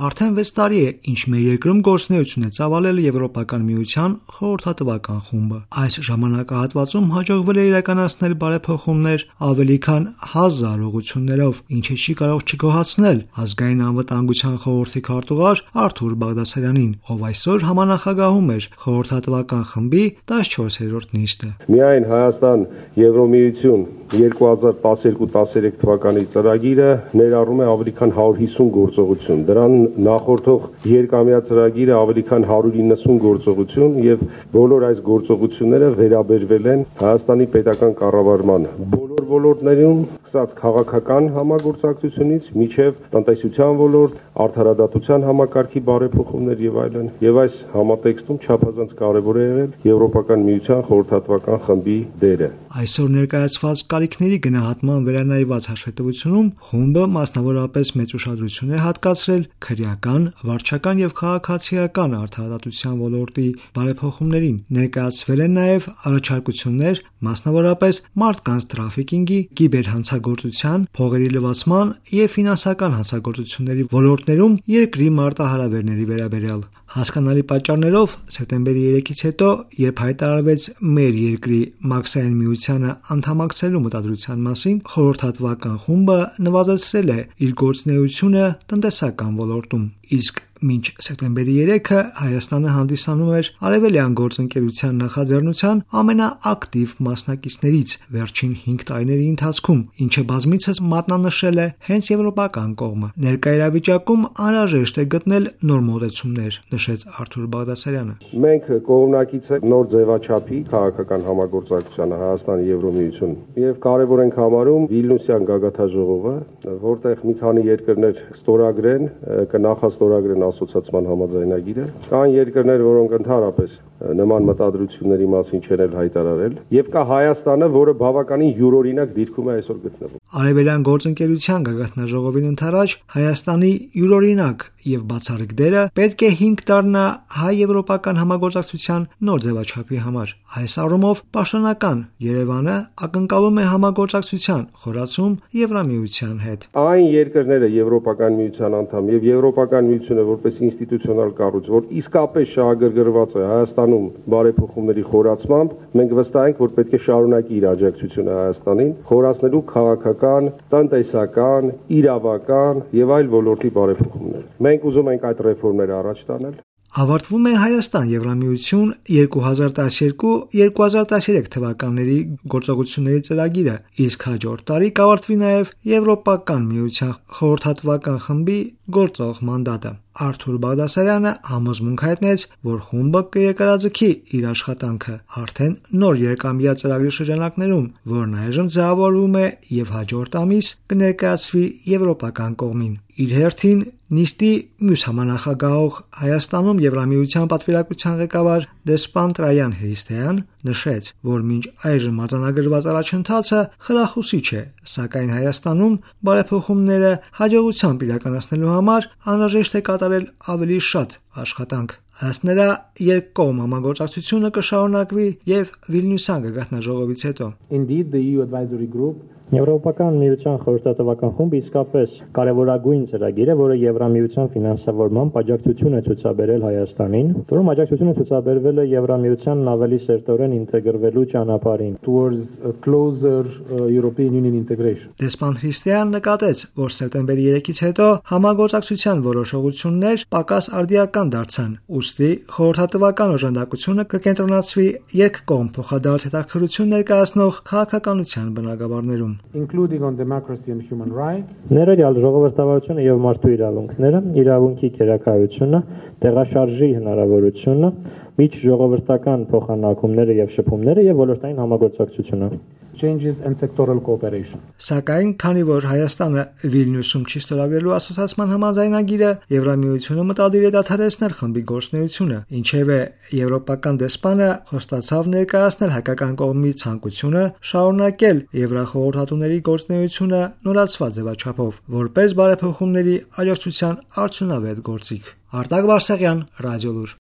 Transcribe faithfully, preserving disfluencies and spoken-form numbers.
Արդեն վեց տարի է, ինչ մեր երկրում գործունեություն է ծավալել Եվրոպական միության խորհրդատվական խումբը։ Այս ժամանակահատվածում հաջողվել է իրականացնել բարեփոխումներ ավելի քան հազար ուղղություններով, ինչը չի կարող չգոհացնել Ազգային անվտանգության խորհրդի քարտուղար Արթուր Բաղդասարյանին, ով այսօր համանախագահում էր խորհրդատվական խմբի տասնչորսերորդ նիստը։ Միայն Հայաստան Եվրոմիություն երկու հազար տասներկու տասներեք թվականի ծրագիրը ներառում է ավելի քան հարյուր հիսուն գործողություն։ Դրան նախորդող երկամյա ծրագիրը ավելի քան հարյուր իննսուն գործողություն եւ բոլոր այս գործողությունները վերաբերվել են Հայաստանի պետական կառավարման բոլոր ոլորտներում, սկսած քաղաքական համագործակցությունից մինչև տնտեսության ոլորտ, արդարադատության համակարգի բարեփոխումներ եւ այլն։ Եվ այս համատեքստում չափազանց կարեւոր է եղել Եվրոպական միության խորհրդատվական խմբի դերը։ Այսօր ներկայացված կարիքների գնահատման վերանայված հաշվետվությունում խումբը մասնավորապես մեծ ուշադրություն է հատկացրել քրեական, վարչական եւ քաղաքացիական արդարադատության ոլորտի բարեփոխումներին։ Ներկայացվել են նաեւ առաջարկություններ մասնավորապես մարդկանց տրաֆիկինգի, կիբերհանցագործության, փողերի լվացման եւ ֆինանսական հանցագործությունների ոլորտներում երկրի մարտահրավերների վերաբերյալ։ Հասկանալի պատճառներով սեպտեմբերի երեքից հետո, երբ հայտարարվեց մեր երկրի Մաքսային միությանը անդամակցելու մտադրության մասին, խորհրդատվական խումբը նվազեցրել է իր գործունեությունը տնտեսական ոլորտում, իսկ մինչ սեպտեմբերի երեքը Հայաստանը հանդիսանում էր Արևելյան գործընկերության նախաձեռնության ամենաակտիվ մասնակիցներից վերջին հինգ տարիների ընթացքում, ինչը բազմիցս մատնանշել է հենց եվրոպական կողմը։ Ներկա իրավիճակում անհրաժեշտ է գտնել նոր մոտեցումներ, նշեց Արթուր Բաղդասարյանը։ Մենք կողմնակից ենք նոր ձևաչափի քաղաքական համագործակցությանը Հայաստանի Եվրոմիություն եւ կարեւոր ենք համարում Վիլնյուսյան գագաթաժողովը, որտեղ մի քանի երկրներ ստորագրեն, կնախաստորագրեն ասոցիացիան համաձայնագիրը, կան երկրներ, որոնք ընդհանրապես նման մտադրությունների մասին չեն հայտարարել, եւ կա Հայաստանը, որը բավականին յուրօրինակ դիրքում է այսօր գտնվում։ Արևելյան գործընկերության գագաթնաժողովին ընդառաջ Հայաստանի յուրօրինակ եւ բացառիկ դերը պետք է հիմք դառնա հայ-եվրոպական համագործակցության նոր ձևաչափի համար։ Այս առումով պաշտոնական Երևանը ակնկալում է համագործակցության խորացում Եվրամիության հետ։ Այն երկրները Եվրոպական միության անդամ եւ Եվրոպական միությունը որպես ինստիտուցիոնալ կառույց, որ իսկապես շահագրգռված է Հայաստանում բարեփոխումների խորացմամբ, մենք վստահ ենք, որ պետք է շարունակի իր աջակցությունը Հայաստանին, խորացնելու քաղաքական, տնտեսական, իրավական եւ այլ ոլորտի բարեփոխումներ։ Մենք ուզում ենք այդ ռեֆորմները առաջ տանել։ Ավարտվում է Հայաստան-Եվրամիություն երկու հազար տասներկու երկու հազար տասներեք թվականների գործողությունների ծրագիրը, իսկ հաջորդ տարի կավարտվի նաև Եվրոպական միության խորհրդատվական խմբի գործող մանդատը։ Արթուր Բաղդասարյանը համոզմունք հայտնեց, որ խումբը կերկարաձգի իր աշխատանքը արդեն նոր երկամյա ծրագրի շրջանակներում, որն այժմ ձևավորվում է եւ հաջորդ ամիս կներկայացվի եվրոպական կողմին։ Իր հերթին նիստի մյուս համանախագահող Հայաստանում Եվրամիության պատվիրակության ղեկավար դեսպան Տրայան Հրիստեյան նշեց, որ մինչ այժմ արձանագրված առաջընթացը խրախուսիչ է, սակայն Հայաստանում բարեփոխումները հաջողությամբ իրականացնելու համար անհրաժեշտ է կատարել ավելի շատ աշխատանք։ Ըստ նրա, երկկողմ համագործակցությունը կշարունակվի եւ Վիլնյուսյան գագաթնաժողովից հետո։ Indeed, the E U advisory group Եվրոպական միության խորհրդատվական խումբը իսկապես կարևորագույն ծրագիր է, որը Եվրամիության ֆինանսավորմամբ աջակցություն է ցուցաբերել Հայաստանին, որում աջակցությունը ցուցաբերվել է Եվրամիությանն ավելի սերտորեն ինտեգրվելու ճանապարհին towards a closer uh, European Union integration։ Դեսպան Հրիստեյան նկատեց, որ սեպտեմբերի երեքից հետո համագործակցության որոշողություններ պակաս արդիական դարձան, ուստի խորհրդատվական օժանդակությունը կկենտրոնացվի երկկողմ փոխադարձ հետաքրքրություն ներկայացնող քաղաքականության բնագավառներում, including on democracy and human rights, ներառյալ ժողովրդավարությունը եւ մարդու իրավունքները, իրավունքի քերակայությունը, տեղաշարժի հնարավորությունը, միջժողովրդական փոխանակումները եւ շփումները եւ ոլորտային համագործակցությունը։ changes and sectoral cooperation։ Սակայն, քանի որ Հայաստանը Վիլնյուսում չի ստորագրելու ասոցիացիան համաձայնագիրը, Եվրամիությունը մտադիր է դադարեցնել խմբի գործունեությունը, ինչևէ եվրոպական դեսպանը խոստացավ ներկայացնել հայկական կողմի ցանկությունը շարունակել եվրախորհրդատուների գործունեությունը նորացված ձևաչափով, որպես բարեփոխումների աջակցության արդյունավետ գործիք։ Արտակ Վարսեղյան, Ռադիոլուր։